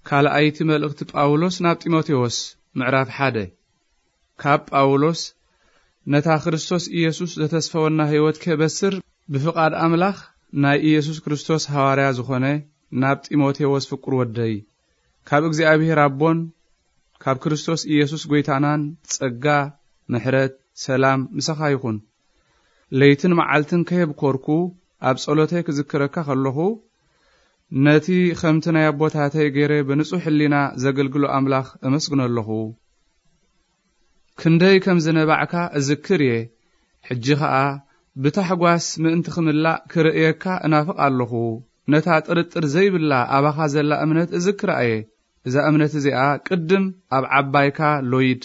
ካልኣይቲ መልእኽቲ ጳውሎስ ናብ ጢሞቴዎስ፣ ምዕራፍ ሓደ። ካብ ጳውሎስ፣ ነታ ክርስቶስ ኢየሱስ ዘተስፈወና ሕይወት ክበስር ብፍቓድ ኣምላኽ ናይ ኢየሱስ ክርስቶስ ሃዋርያ ዝኾነ፣ ናብ ጢሞቴዎስ ፍቁር ወደይ፣ ካብ እግዚኣብሔር ኣቦን ካብ ክርስቶስ ኢየሱስ ጐይታናን ጸጋ፣ ምሕረት፣ ሰላም ምሳኻ ይኹን። ለይትን መዓልትን ከየብኮርኩ ኣብ ጸሎተይ ክዝክረካ ከለኹ፣ ነቲ ከምቲ ናይ ኣቦታተይ ገይረ ብንጹሕ ሕሊና ዘገልግሎ ኣምላኽ እመስግኖ ኣለኹ። ክንደይ ከም ዝነባዕካ እዝክር እየ። ሕጂ ኸኣ ብታሕጓስ ምእንቲ ክምላእ ክርእየካ እናፍቕ ኣለኹ። ነታ ጥርጥር ዘይብላ ኣባኻ ዘላ እምነት እዝክራ እየ። እዛ እምነት እዚኣ ቅድም ኣብ ዓባይካ ሎይድ፣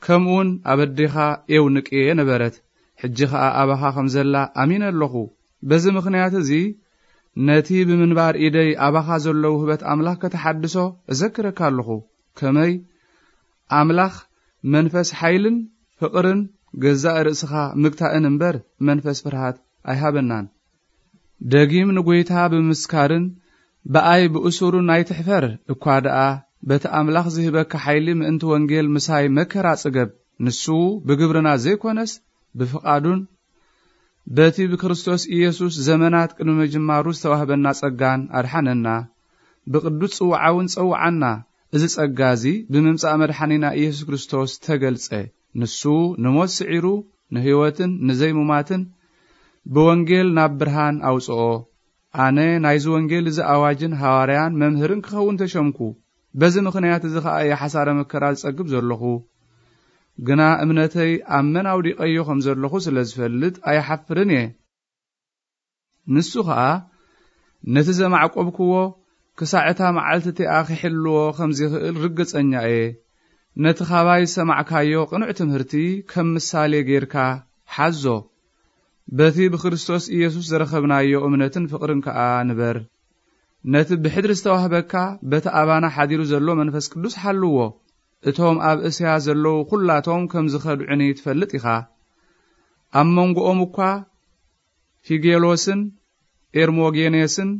ከምኡውን ኣብ ኣዴኻ ኤውንቄ ነበረት። ሕጂ ኸኣ ኣባኻ ከም ዘላ ኣሚነ ኣለኹ። በዚ ምኽንያት እዚ ነቲ ብምንባር ኢደይ ኣባኻ ዘሎ ውህበት ኣምላኽ ከተሓድሶ እዘክረካ ኣለኹ። ከመይ? ኣምላኽ መንፈስ ሓይልን ፍቕርን ገዛእ ርእስኻ ምግታእን እምበር መንፈስ ፍርሃት ኣይሃበናን። ደጊም ንጐይታ ብምስካርን ብኣይ ብእሱሩን ኣይትሕፈር እኳ ደኣ፣ በቲ ኣምላኽ ዝህበካ ሓይሊ ምእንቲ ወንጌል ምሳይ መከራ ጽገብ። ንሱ ብግብርና ዘይኮነስ ብፍቓዱን በቲ ብክርስቶስ ኢየሱስ ዘመናት ቅድሚ ምጅማሩ ዝተዋህበና ጸጋን ኣድሓነና። ብቅዱስ ጽውዓውን ጸውዓና። እዚ ጸጋ እዚ ብምምጻእ መድሓኒና ኢየሱስ ክርስቶስ ተገልጸ። ንሱ ንሞት ስዒሩ ንህይወትን ንዘይሙማትን ብወንጌል ናብ ብርሃን ኣውጽኦ። ኣነ ናይዚ ወንጌል እዚ ኣዋጅን ሃዋርያን መምህርን ክኸውን ተሸምኩ። በዚ ምኽንያት እዚ ኸኣ እየ ሓሳረ መከራ ዝጸግብ ዘለኹ። ግና እምነተይ ኣብ መን ኣውዲቐዮ ከም ዘለኹ ስለ ዝፈልጥ ኣይሓፍርን እየ። ንሱ ኸኣ ነቲ ዘማዕቆብክዎ ክሳዕ እታ መዓልቲ እቲኣ ክሕልዎ ከም ዚኽእል ርግጸኛ እየ። ነቲ ኻባይ ዝሰማዕካዮ ቅኑዕ ትምህርቲ ከም ምሳሌ ጌርካ ሓዞ። በቲ ብክርስቶስ ኢየሱስ ዝረኸብናዮ እምነትን ፍቕርን ከኣ ንበር። ነቲ ብሕድሪ ዝተዋህበካ በቲ ኣባና ሓዲሩ ዘሎ መንፈስ ቅዱስ ሓልዎ። እቶም ኣብ እስያ ዘለዉ ኹላቶም ከም ዝኸድዑኒ ትፈልጥ ኢኻ። ኣብ መንጎኦም እኳ ፊጌሎስን ኤርሞጌኔስን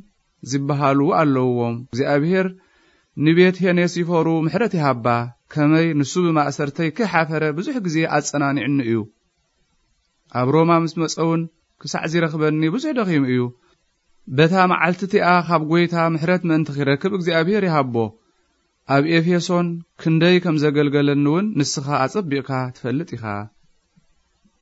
ዝበሃሉ ኣለውዎም። እግዚኣብሔር ንቤት ሄኔሲፎሩ ምሕረት ይሃባ። ከመይ ንሱ ብማእሰርተይ ከይሓፈረ ብዙሕ ግዜ ኣጸናኒዕኒ እዩ። ኣብ ሮማ ምስ መጸ እውን ክሳዕ ዚረኽበኒ ብዙሕ ደኺሙ እዩ። በታ መዓልቲ እቲኣ ካብ ጐይታ ምሕረት ምእንቲ ኺረክብ እግዚኣብሔር ይሃቦ። ኣብ ኤፌሶን ክንደይ ከም ዘገልገለኒ እውን ንስኻ ኣጸቢቕካ ትፈልጥ ኢኻ።